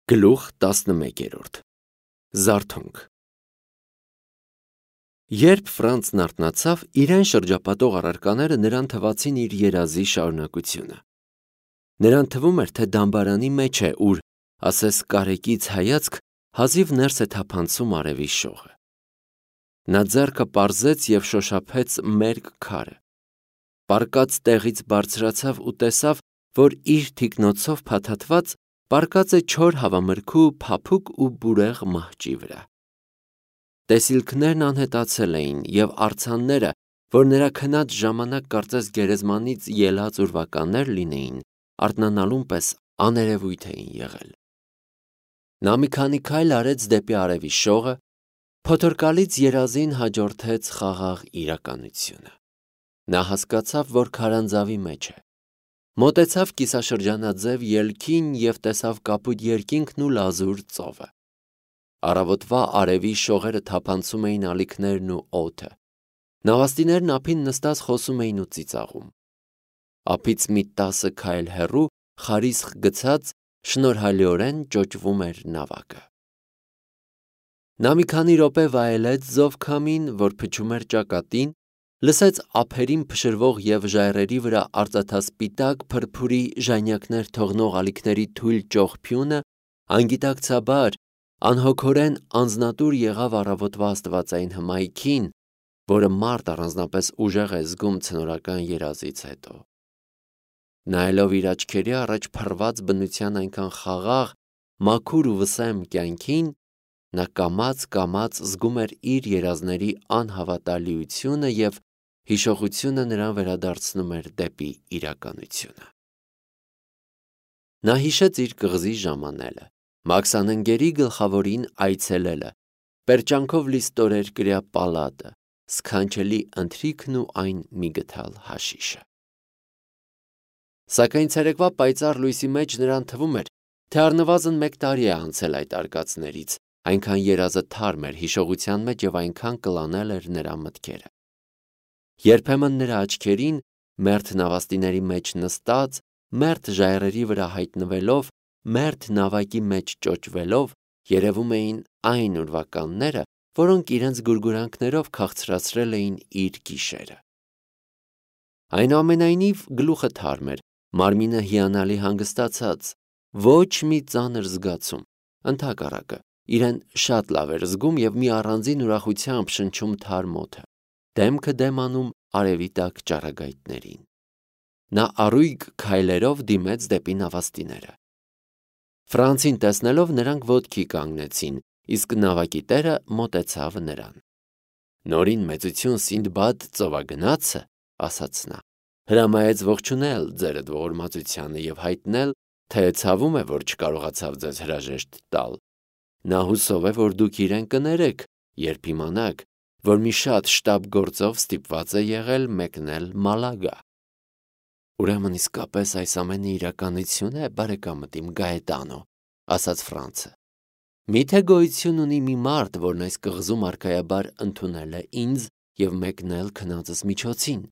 Գլուխ 11 Զարթոնք Երբ Ֆրանցն արթնացավ, իրեն շրջապատող առարկաները նրան թվացին իր երազի շարունակությունը։ Նրան թվում էր, թե դամբարանի մեջ է, ուր, ասես կարեկից հայացք, հազիվ ներս է թափանցում արևի շողը։ Նա ձեռքը պարզեց և շոշափեց մերկ քարը։ Պառկած տեղից բարձրացավ ու տեսավ, որ իր թիկնոցով փաթաթված պառկած է չոր հավամրգու փափուկ ու բուրեղ մահճի վրա։ Տեսիլքներն անհետացել էին, և արձանները, որ նրա քնած ժամանակ կարծես գերեզմանից ելած ուրվականներ լինեին, արթնանալուն պես աներևույթ էին եղել։ Նա մի քանի քայլ արեց դեպի արևի շողը, փոթորկալից երազին հաջորդեց խաղաղ իրականությունը։ Նա հասկացավ, որ քարանձավի մեջ է։ Մոտեցավ կիսաշրջանաձև ելքին և տեսավ կապույտ երկինքն ու լազուր ծովը։ Առավոտվա արևի շողերը թափանցում էին ալիքներն ու օդը։ Նավաստիներն ափին նստած խոսում էին ու ծիծաղում։ Ափից մի 10 քայլ հեռու, խարիսխ գցած, շնորհալիորեն ճոճվում էր նավակը։ Նա մի քանի րոպե վայելեց զովքամին, որ փչում էր ճակատին, լսեց ափերին փշրվող և ժայռերի վրա արծաթասպիտակ փրփուրի ժանյակներ թողնող ալիքների թույլ ճողփյունը, անգիտակցաբար, անհոգորեն անձնատուր եղավ առավոտվա աստվածային հմայքին, որը մարդ առանձնապես ուժեղ է զգում ցնորական երազից հետո։ Նայելով իր աչքերի առաջ փռված բնության այնքան խաղաղ, մաքուր ու վսեմ կյանքին, նա կամաց զգում էր իր երազների անհավատալիությունը և հիշողությունը նրան վերադարձնում էր դեպի իրականությունը։ Նա հիշեց իր կղզի ժամանելը, մաքսանընկերի գլխավորին այցելելը, պերճանքով լի ստորերկրյա պալատը, սքանչելի ընթրիքն ու այն միգթալ հաշիշը։ Սակայն ցերեկվա պայծառ լույսի մեջ նրան թվում էր, թե առնվազն 1 տարի է անցել այդ արկածներից, այնքան երազը թարմ էր հիշողության մեջ և այնքան կլանել էր նրա մտքերը։ Երբեմն նրա աչքերին, մերթ նավաստիների մեջ նստած, մերթ ժայռերի վրա հայտնվելով, մերթ նավակի մեջ ճոճվելով, երևում էին այն ուրվականները, որոնք իրենց գուրգուրանքներով քաղցրացրել էին իր գիշերը։ Այնուամենայնիվ գլուխը թարմ էր, մարմինը հիանալի հանգստացած, ոչ մի ծանր զգացում, ընդհակառակը, իրեն շատ լավ էր զգում և մի առանձին ուրախությամբ շնչում թարմ օդը, դեմքը դեմ անում արևի տակ ճառագայթներին։ Նա առույգ քայլերով դիմեց դեպի նավաստիները։ Ֆրանցին տեսնելով նրանք ոտքի կանգնեցին, իսկ նավակի տերը մոտեցավ նրան։ «Նորին մեծություն Սինդբադ ծովագնացը, ասաց նա, հրամայեց ողջունել ձերդ ողորմածությանը և հայտնել, թե ցավում է, որ չկարողացավ ձեզ հրաժեշտ տալ։ Նա հուսով է, որ դուք իրեն կներեք, երբ իմանաք, որ մի շատ շտապ գործով ստիպված է եղել մեկնել Մալագա»։ «Ուրեմն իսկապես այս ամենը իրականություն է, բարեկամդ իմ Գաետանո», ասաց Ֆրանցը։ «Մի՞թե գոյություն ունի մի մարդ, որն այս կղզում արքայաբար ընդունել է ինձ և մեկնել քնածս միջոցին։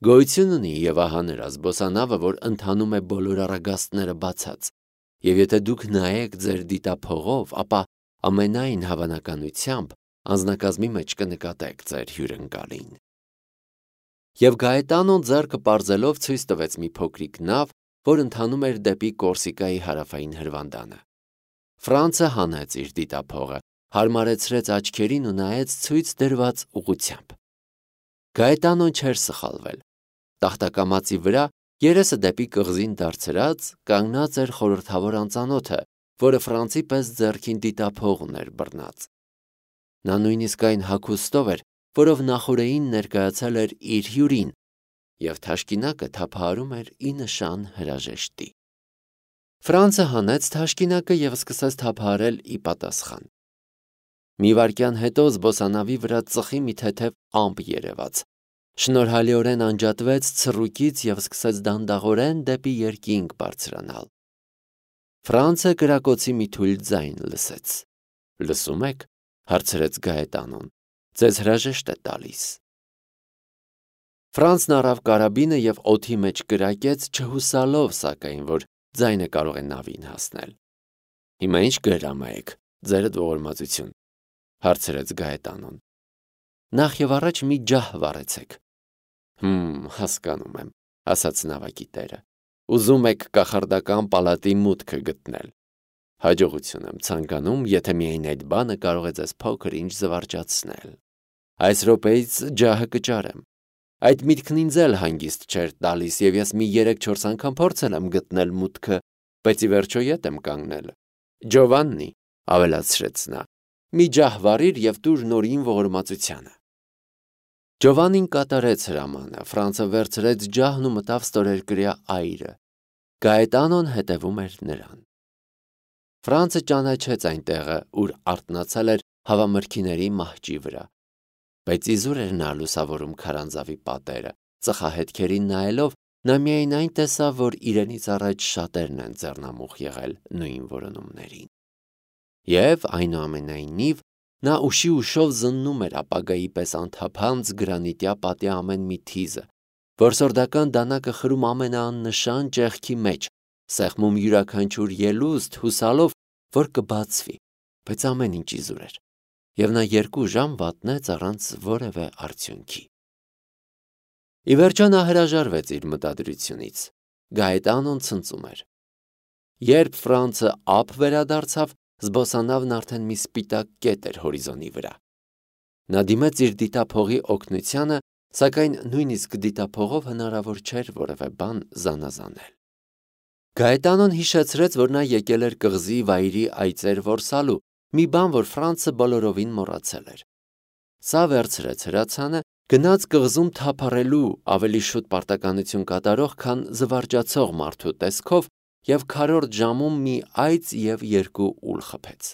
Գոյություն ունի և ահա նրա զբոսանավը, որ ընթանում է բոլոր առագաստները բացած, և եթե դուք նայեք ձեր դիտափողով, ապա ամենայն հավանականությամբ անձնակազմի մեջ կնկատեք ձեր հյուրընկալին»։ Եվ Գաետանոն ձեռքը պարզելով ցույց տվեց մի փոքրիկ նավ, որ ընթանում էր դեպի Կորսիկայի հարավային հրվանդանը։ Ֆրանցը հանեց իր դիտափողը, հարմարեցրեց աչքերին ու նայեց ցույց դրված ուղղությամբ։ Գաետանոն չէր սխալվել։ Տախտակամածի վրա, երեսը դեպի կղզին դարձրած, կանգնած էր խորհրդավոր անծանոթը, որը Ֆրանցի պես ձեռքին դիտափող ուներ բռնած։ Նա նույնիսկ այն հագուստով էր, որով նախօրեին ներկայացել էր իր հյուրին, և թաշկինակը թափահարում էր ի նշան հրաժեշտի։ Ֆրանցը հանեց թաշկինակը և սկսեց թափահարել ի պատասխան։ Մի վայրկյան հետո զբոսանավի վրա ծխի մի թեթև ամպ երևաց, շնորհալիորեն անջատվեց ցռուկից և սկսեց դանդաղորեն դեպի երկինք բարձրանալ։ Ֆրանցը կրակոցի մի թույլ ձայն լսեց։ «Լսում եք», հարցրեց Գաետանոն, «ձեզ հրաժեշտ է տալիս»։ Ֆրանցն առավ կարաբինը և օդի մեջ կրակեց, չհուսալով, սակայն, որ ձայնը կարող է նավին հասնել։ Հիմա ինչ գրամա եք, ձերդ ողորմածություն, հարցրեց Գայետանոն։ Նախ եւ առաջ մի ջահ վառեցեք։ Հասկանում եմ, ասաց նավակի տերը։ Ուզում եք կախարդական պալատի մուտքը գտնել։ Հաջողություն եմ ցանկանում, եթե միայն այդ բանը կարող է ձեզ փոքր ինչ զվարճացնել։ Այս րոպեից ջահը կճարեմ։ Այդ միտքն ինձ էլ հանգիստ չէր տալիս, եւ ես մի 3-4 անգամ փորձել եմ գտնել մուտքը, բայց ի վերջո ետ եմ կանգնել։ Ջովաննի, ավելացրեց նա, մի ջահ վառիր եւ տուր նորին ողորմածությանը։ Ջովանին կատարեց հրամանը, Ֆրանցը վերցրեց ջահն ու մտավ ստորերկրյա այրը։ Գայետանոն հետևում էր նրան։ Ֆրանցը ճանաչեց այն տեղը, ուր արթնացել էր հավամրգիների մահճի վրա, բայց իզուր էր նա լուսավորում քարանձավի պատերը, ծխահետքերին նայելով, նա միայն այն տեսավ, որ իրենից առաջ շատերն են ձեռնամուխ եղել նույն որոնումներին։ Եվ այնուամենայնիվ նա ուշի ուշով զննում էր ապագայի պես անթափանց գրանիտյա պատի ամեն մի թիզը, որսորդական դանակը խրում ամենաաննշան ճեղքի մեջ, սեղմում յուրաքանչյուր ելուստ, հուսալով, որ կբացվի, բայց ամեն ինչ իզուր էր, եւ նա 2 ժամ վատնեց առանց որևէ արդյունքի։ Ի վերջո նա հրաժարվեց իր մտադրությունից։ Գայետանոն ցնծում էր։ Երբ Ֆրանցը ափ վերադարձավ, զբոսանավն արդեն մի սպիտակ կետ էր հորիզոնի վրա։ Նա դիմեց իր դիտափողի օգնությանը, սակայն նույնիսկ դիտափողով հնարավոր չէր որևէ բան զանազանել։ Գայետանոն հիշեցրեց, որ նա եկել էր կղզի վայրի այծեր որսալու, մի բան, որ Ֆրանցը բոլորովին մոռացել էր։ Սա վերցրեց հրացանը, գնաց կղզում թափառելու ավելի շուտ պարտականություն կատարող, քան զվարճացող մարդու տեսքով եւ քառորդ ժամում մի այծ եւ 2 ուլ խփեց։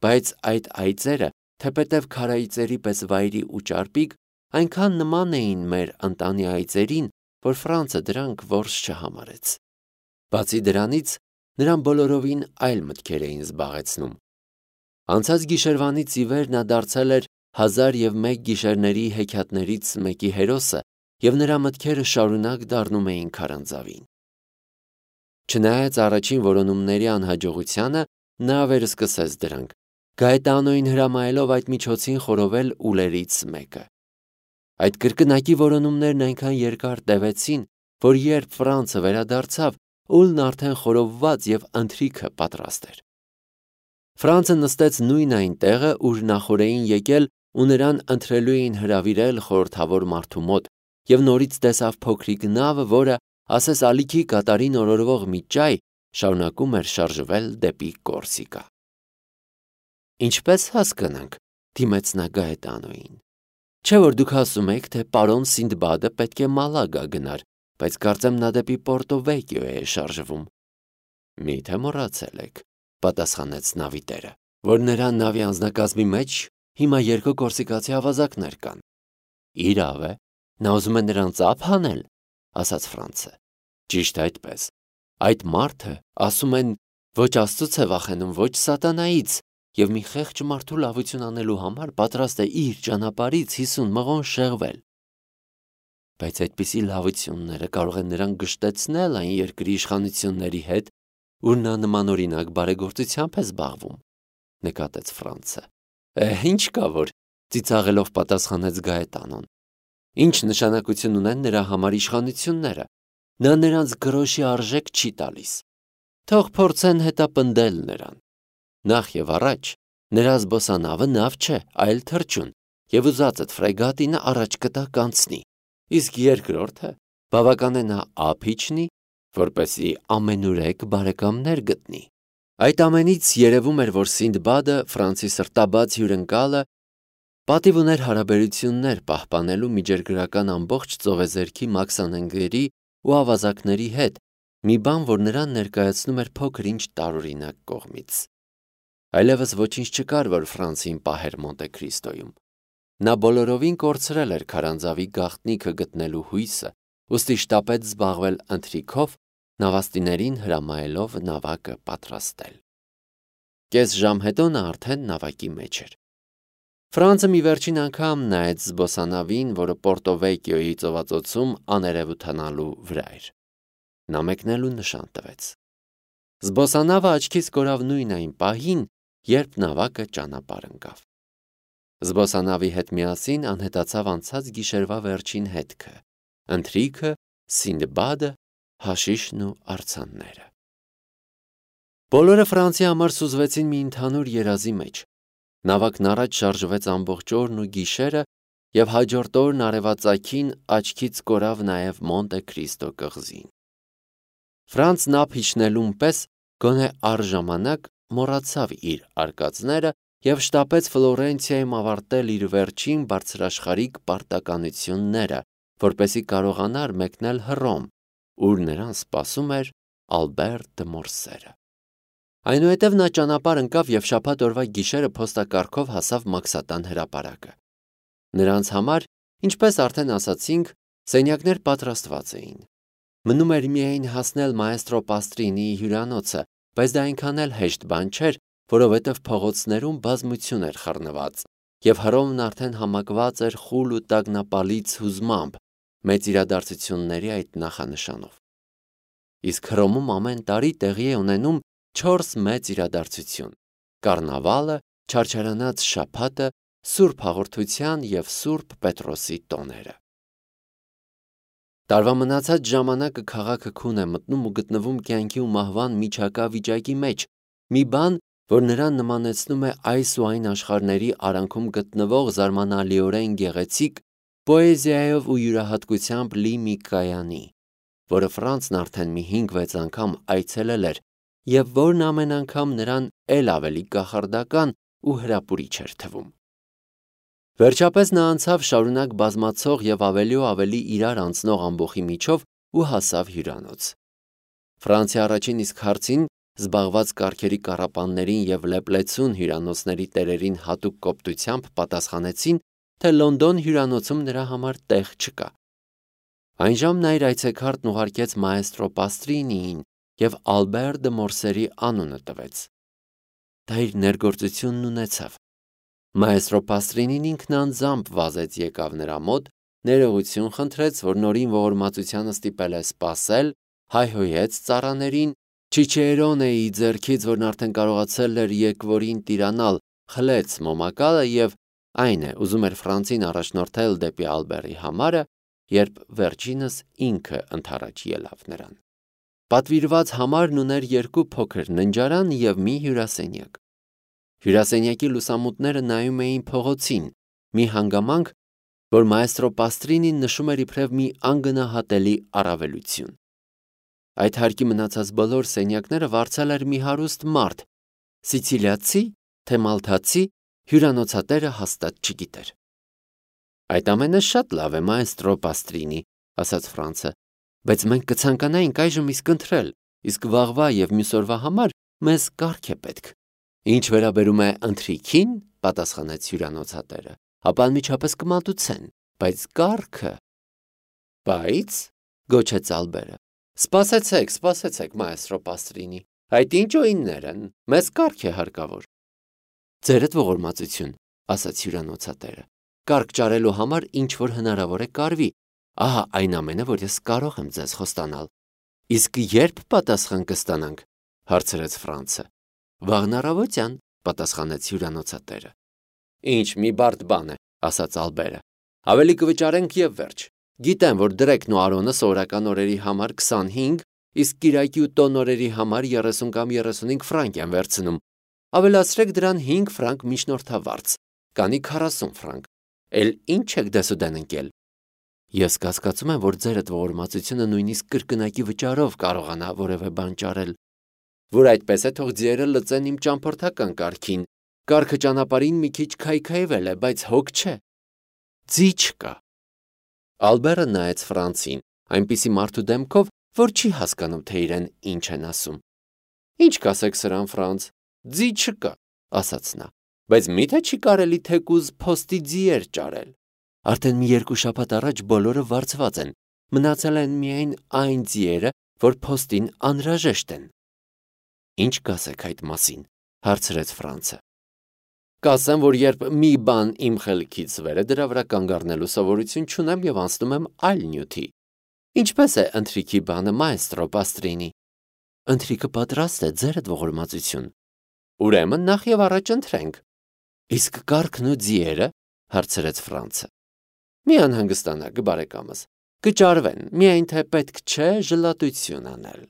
Բայց այդ այծերը, թեպետև քարայծերի պես վայրի ու ճարպիկ, այնքան նման էին մեր ընտանի այծերին, որ Ֆրանցը դրանք որս չհամարեց։ Բացի դրանից, նրան բոլորովին այլ մտքեր էին զբաղեցնում։ Անցած գիշերվանից ի վեր նա դարձել էր 1001 գիշերների հեքիաթներից մեկի հերոսը, եւ նրա մտքերը շարունակ դառնում էին քարանձավին։ Չնայած առաջին որոնումների անհաջողությանը, նա վերսկսեց դրանք, Գայետանոին հրամայելով այդ միջոցին խորովել ուլերից մեկը։ Այդ կրկնակի որոնումներն այնքան երկար տևեցին, որ երբ Ֆրանցը վերադարձավ, ուլն արդեն խորովված եւ ընթրիքը պատրաստ էր։ Ֆրանցը նստեց նույն այն տեղը, ուր նախօրեին եկել ու նրան ընթրելու էին հրավիրել խորհրդավոր մարդու մոտ, եւ նորից տեսավ փոքրիկ նավը, որը, ասես ալիքի կատարին օրորվող մի ճայ, շարունակում էր շարժվել դեպի Կորսիկա։ Ինչպես հասկանանք, դիմեց նա Գայետանոին։ Չէ՞ որ դուք ասում եք, թե պարոն Սինդբադը պետք է Մալագա գնար, բայց կարծեմ նա դեպի Պորտո Վեկիո է շարժվում։ Մի՞թե մոռացել եք, պատասխանեց նավի տերը, որ նրա նավի անձնակազմի մեջ հիմա 2 կորսիկացի ավազակներ կան։ Իրավ է, նա ուզում է նրանց ափ հանել, ասաց Ֆրանցը։ Ճիշտ այդպես։ Այդ մարդը, ասում են, ոչ Աստծուց է վախենում, ոչ սատանայից, եւ մի խեղճ մարդու լավություն անելու համար պատրաստ է իր ճանապարհից 50 մղոն շեղվել։ Բայց այդպիսի լավությունները կարող են նրան գշտեցնել այն երկրի իշխանությունների հետ, ուր նա նմանօրինակ բարեգործությամբ է զբաղվում, նկատեց Ֆրանցը։ Ինչ կա որ, ծիծաղելով պատասխանեց Գայետանոն։ Ինչ նշանակություն ունեն նրա համար իշխանությունները։ Նա նրանց գրոշի արժեք չի տալիս։ Թող փորձեն հետապնդել նրան։ Նախ եւ առաջ նրա զբոսանավը նավ չէ, այլ թռչուն, եւ ուզածդ ֆրեգատինը առաջ կտա կանցնի։ Իսկ երկրորդը բավական է նա ափ իջնի, որպեսզի ամենուրեք բարեկամներ գտնի։ Այդ ամենից երևում էր, որ Սինդբադը, Ֆրանցի սրտաբաց հյուրընկալը, պատիվ ուներ հարաբերություններ պահպանելու միջերգրական ամբողջ ծովեզերքի մաքսանենգերի ու ավազակների հետ, մի բան, որ նրան ներկայացնում էր փոքր ինչ տարօրինակ կողմից։ Այլևս ոչինչ չկար, որ Ֆրանսին պահեր Մոնտե Քրիստոյում։ Նա բոլորովին կորցրել էր քարանձավի գաղտնիքը գտնելու հույսը, ուստի շտապեց զբաղվել ընթրիքով, նավաստիներին հրամայելով նավակը պատրաստել։ Կես ժամ հետո նա արդեն նավակի մեջ էր։ Ֆրանցը մի վերջին անգամ նայեց զբոսանավին, որը Պորտո Վեկիոյի ծովածոցում աներևութանալու վրա էր։ Նա մեկնելու նշան տվեց։ Զբոսանավը աչքից կորավ նույն այն պահին, երբ նավակը ճանապարհ ընկավ։ Զբոսանավի հետ միասին անհետացավ անցած գիշերվա վերջին հետքը, ընթրիքը, Սինդբադը, հաշիշն ու արձանները։ Բոլորը Ֆրանսիի համար սուզվեցին մի ընդհանուր երազի մեջ։ Նավակն առաջ շարժվեց ամբողջ օրն ու գիշերը, եւ հաջորդ օրն արևածագին աչքից կորավ նաև Մոնտե Քրիստո կղզին։ Ֆրանսն ափ իջնելուն պես գոնե առժամանակ մոռացավ իր արկածները եւ շտապեց Ֆլորենցիայում ավարտել իր վերջին բարձրաշխարհիկ պարտականությունները, որպեսզի կարողանար մեկնել Հռոմ, ուր նրան սպասում էր Ալբեր դը Մորսերը։ Այնուհետև նա ճանապարհ ընկավ եւ շաբաթ օրվա գիշերը փոստակառքով հասավ Մաքսատան հրապարակը։ Նրանց համար, ինչպես արդեն ասացինք, սենյակներ պատրաստված էին։ Մնում էր միայն հասնել մաեստրո Պաստրինիի հյուրանոցը, բայց դա այնքան էլ հեշտ բան չէր, որովհետև փողոցներում բազմություն էր խռնված, եւ Հռոմն արդեն համակված էր խուլ ու տագնապալից հուզմամբ մեծ իրադարձությունների այդ նախանշանով։ Իսկ Հռոմում ամեն տարի տեղի է ունենում 4 մեծ իրադարձություն՝ կառնավալը, չարչարանաց շաբաթը, Սուրբ Հաղորդության եւ Սուրբ Պետրոսի տոները։ Տարվա մնացած ժամանակը քաղաքը քուն է մտնում ու գտնվում կյանքի ու մահվան միջակա վիճակի մեջ, մի բան, որ նրան նմանեցնում է այս ու այն աշխարհների արանքում գտնվող զարմանալիորեն գեղեցիկ պոեզիայով ու յուրահատկությամբ լի մի կայանի, որը Ֆրանսն արդեն մի 5-6 անգամ այցելել էր եւ որն ամեն անգամ նրան էլ ավելի կախարդական ու հրապուրիչ էր թվում։ Վերջապես նա անցավ շարունակ բազմացող եւ ավելի ու ավելի իրար անցնող ամբոխի միջով ու հասավ հյուրանոց։ Ֆրանսիա առաջին իսկ հարցին զբաղված կառքերի կառապաններին եւ լեպլեցուն հյուրանոցների տերերին հատուկ կոպտությամբ պատասխանեցին, թե Լոնդոն հյուրանոցում նրա համար տեղ չկա։ Այն ժամն իր այցեքարտն ուղարկեց մաեստրո Պաստրինիին եւ Ալբեր դը Մորսերի անունը տվեց։ Դա իր ներգործությունն ունեցավ։ Մաեստրո Պաստրինին ինքն անձամբ վազեց եկավ նրա մոտ, ներողություն խնդրեց, որ նորին ողորմածությանը ստիպել է սպասել, հայհոյեց ծառաներին, Չիչերոնեի ձեռքից, որն արդեն կարողացել էր եկվորին տիրանալ, խլեց մոմակալը եւ այն է, ուզում էր Ֆրանսին առաջնորդել դեպի Ալբերի համարը, երբ վերջինս ինքը ընդառաջ ելավ նրան։ Պատվիրված համարն ուներ 2 փոքր ննջարան եւ մի հյուրասենյակ։ Հյուրասենյակի լուսամուտները նայում էին փողոցին, մի հանգամանք, որ մաեստրո Պաստրինին նշում էր իբրև մի անգնահատելի առավելություն։ Այդ հարկի մնացած բոլոր սենյակները վարձել էր մի հարուստ մարդ, սիցիլիացի, թե մալթացի, հյուրանոցատերը հաստատ չգիտեր։ Այդ ամենը շատ լավ է, մաեստրո Պաստրինի, ասաց Ֆրանսը, բայց մենք կցանկանայինք այժմ իսկ ընթրել, իսկ վաղվա եւ մյուս օրվա համար մեզ կարգ է պետք։ Ինչ վերաբերում է ընթրիքին, պատասխանեց հյուրանոցատերը, ապա անմիջապես կմատուցեն, բայց կարգը… Բայց, գոչեց Ալբերը, սպասեցեք, մաեստրո Պաստրինի, այդ ինչ օիններ են, մեզ կարգ է հարկավոր։ Ձերդ ողորմածություն, ասաց հյուրանոցատերը, կարգ ճարելու համար ինչ որ հնարավոր է կարվի, ահա այն ամենը, որ ես կարող եմ ձեզ խոստանալ։ Իսկ երբ պատասխան կստանանք, հարցրեց Ֆրանսը։ Վաղն առավոտյան, պատասխանեց հյուրանոցատերը։ Ինչ մի բարդ բան է, ասաց Ալբերը, ավելի կվճարենք եւ վերջ։ Գիտեմ, որ դրեկն ու արոնը սովորական օրերի համար 25, իսկ կիրակի ու տոն օրերի համար 30 կամ 35 ֆրանկ են վերցնում։ Ավելացրեք դրան 5 ֆրանկ միջնորդավարձ, կանի 40 ֆրանկ։ Էլ ինչ եք դեսուդեն ընկել։ Ես կասկածում եմ, որ ձերդ ողորմածությունը նույնիսկ կրկնակի վճարով կարողանա որևէ բան ճարել։ Որ այդպես է, թող ձիերը լծեն իմ ճամփորդական կարգին։ Կարգը ճանապարհին մի քիչ քայքայվել է, բայց հոգ չէ։ Ձի չկա։ Ալբերը նայեց Ֆրանսին, այնպիսի մարդու դեմքով, որ չի հասկանում, թե իրեն ինչ են ասում։ Ինչ կասեք սրան, Ֆրանս, ձի չկա, ասաց նա, բայց միթե չի կարելի թեկուզ փոստի ձիեր ճարել։ Արդեն մի 2 շաբաթ առաջ բոլորը վարձված են, մնացել են միայն այն ձիերը, որ փոստին անհրաժեշտ են։ Ինչ կասեք այդ մասին, հարցրեց Ֆրանսը։ Կասեմ, որ երբ մի բան իմ խելքից վեր է, դրա վրա կանգ առնելու սովորություն չունեմ եւ անցնում եմ այլ նյութի։ Ինչպես է ընթրիքի բանը, մաեստրո Պաստրինի։ Ընթրիքը պատրաստ է, ձերդ ողորմածություն։ Ուրեմն նախ եւ առաջ ընթրենք։ Իսկ կառքն ու ձիերը, հարցրեց Ֆրանցը։ Մի անհանգստանաք, բարեկամս, կճարվեն, միայն թե պետք չէ ժլատություն անել։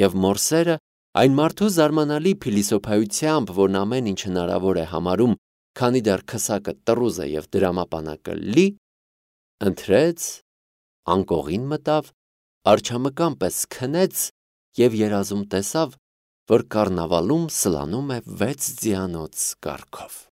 Եվ մորսերը այն մարդու զարմանալի փիլիսոփայությամբ, որն ամեն ինչ հնարավոր է համարում, քանի դեռ քսակը տռուզ է եւ դրամապանակը լի, ընթրեց, անկողին մտավ, արջամկան պես քնեց եւ երազում տեսավ, որ կառնավալում սլանում է 6 ձիանոց կառքով։